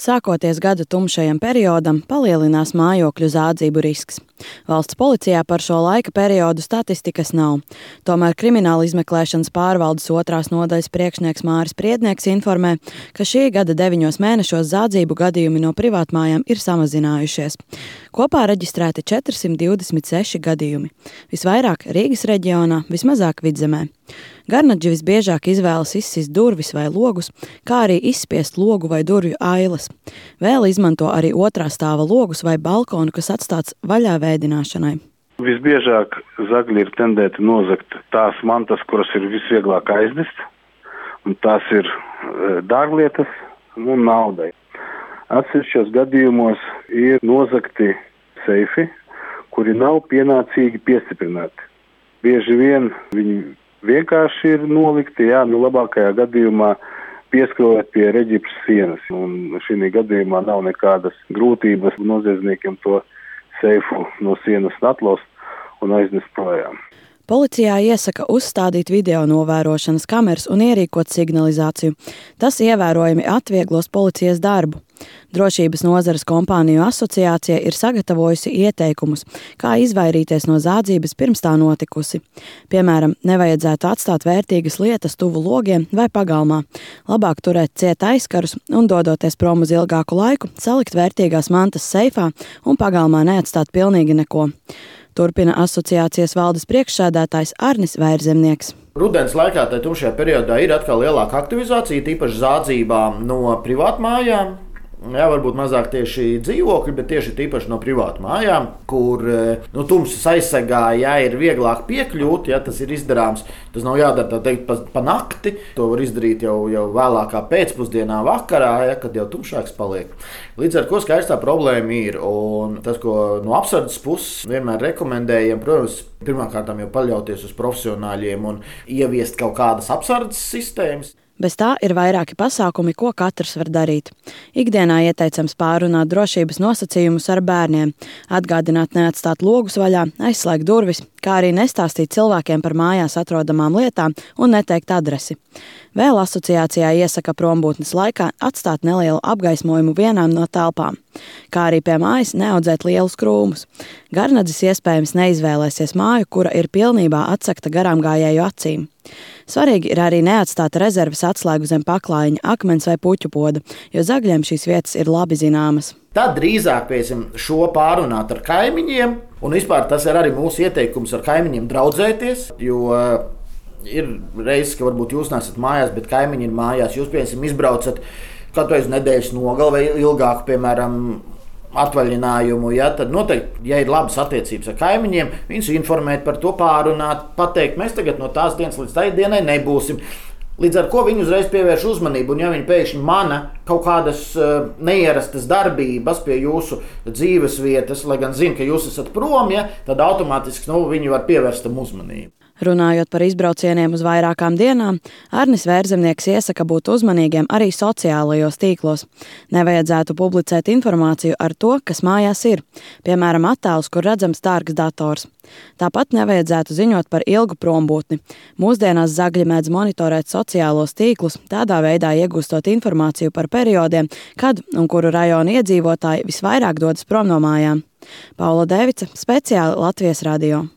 Sākoties gada tumšajam periodam, palielinās mājokļu zādzību risks. Valsts policijā par šo laika periodu statistikas nav. Tomēr Krimināla izmeklēšanas pārvaldes 2. nodaļas priekšnieks Māris Priednieks informē, ka šī gada 9 mēnešos zādzību gadījumi no privātmājām ir samazinājušies. Kopā reģistrēti 426 gadījumi. Visvairāk Rīgas reģionā, vismazāk Vidzemē. Garnadži visbiežāk izvēlas izsist durvis vai logus, kā arī izspiest logu vai durvju ailas. Vēl izmanto arī 2. stāva logus vai balkonu, kas atstāts vaļā vēdināšanai. Visbiežāk zagļi ir tendēti nozagt tās mantas, kuras ir visvieglāk aiznest, un tās ir dārglietas un naudai. Atsevišķos gadījumos ir nozagti seifi, kuri nav pienācīgi piestiprināti. Bieži vien viņi vienkārši ir nolikti, labākajā gadījumā pieskrojot pie reģipsa sienas. Un šī gadījumā nav nekādas grūtības noziedzniekiem to seifu no sienas atlaust un aiznest projām. Policijā iesaka uzstādīt video novērošanas kameras un ierīkot signalizāciju. Tas ievērojami atvieglos policijas darbu. Drošības nozares kompāniju asociācija ir sagatavojusi ieteikumus, kā izvairīties no zādzības pirms tā notikusi. Piemēram, nevajadzētu atstāt vērtīgas lietas tuvu logiem vai pagalmā. Labāk turēt ciet aizkarus un, dodoties prom uz ilgāku laiku, salikt vērtīgās mantas seifā un pagalmā neatstāt pilnīgi neko. Turpina asociācijas valdes priekšsēdētājs Arnis Vērzemnieks. Rudens laikā, tajā tumšajā periodā, ir atkal lielāka aktivizācija, tīpaši zādzībā no privātmājām. Varbūt mazāk tieši dzīvokļi, bet tieši tīpaši no privātmājām, kur tumsas aizsegā ir vieglāk piekļūt, tas ir izdarāms. Tas nav jādara tā teikt pa nakti, to var izdarīt jau vēlākā pēcpusdienā vakarā, kad jau tumšāks paliek. Līdz ar ko skaidrs tā problēma ir, un tas, ko no apsardzes puses vienmēr rekomendējam, protams, pirmkārtām jau paļauties uz profesionāļiem un ieviest kaut kādas apsardzes sistēmas. Bez tā ir vairāki pasākumi, ko katrs var darīt. Ikdienā ieteicams pārunāt drošības nosacījumus ar bērniem, atgādināt neatstāt logus vaļā, aizslēgt durvis, kā arī nestāstīt cilvēkiem par mājās atrodamām lietām un neteikt adresi. Vēl asociācijā iesaka prombūtnes laikā atstāt nelielu apgaismojumu vienām no telpām, kā arī pie mājas neaudzēt lielus krūmus. Garnadzis iespējams neizvēlēsies māju, kura ir pilnībā atsegta garām gājēju acīm. Svarīgi ir arī neatstāt rezerves atslēgu zem paklājiņa, akmens vai puķu poda, jo zagļiem šīs vietas ir labi zināmas. Tad drīzāk šo pārunāt ar kaimiņiem, un vispār tas ir arī mūsu ieteikums ar kaimiņiem draudzēties, jo ir reizes, ka varbūt jūs nesat mājās, bet kaimiņi ir mājās. Jūs, piemēram, izbraucat katru reizi nedēļas nogali vai ilgāk, piemēram, atvaļinājumu, tad noteikti, ja ir labas attiecības ar kaimiņiem, viņus informēt par to, pārunāt, pateikt, mēs tagad no tās dienas līdz tai dienai nebūsim. Līdz ar ko viņi uzreiz pievērš uzmanību, un ja viņi pēkšņi mana kaut kādas neierastas darbības pie jūsu dzīves vietas, lai gan zina, ka jūs esat prom, tad automātiski viņi var pievērst tam uzmanību. Runājot par izbraucieniem uz vairākām dienām, Arnis Vērzemnieks iesaka būt uzmanīgiem arī sociālajos tīklos. Nevajadzētu publicēt informāciju ar to, kas mājās ir, piemēram, attēlus, kur redzams dārgs dators. Tāpat nevajadzētu ziņot par ilgu prombūtni. Mūsdienās zagļi mēdz monitorēt sociālos tīklus, tādā veidā iegūstot informāciju par periodiem, kad un kuru rajonu iedzīvotāji visvairāk dodas prom no mājām. Paula Devica, speciāli Latvijas radio.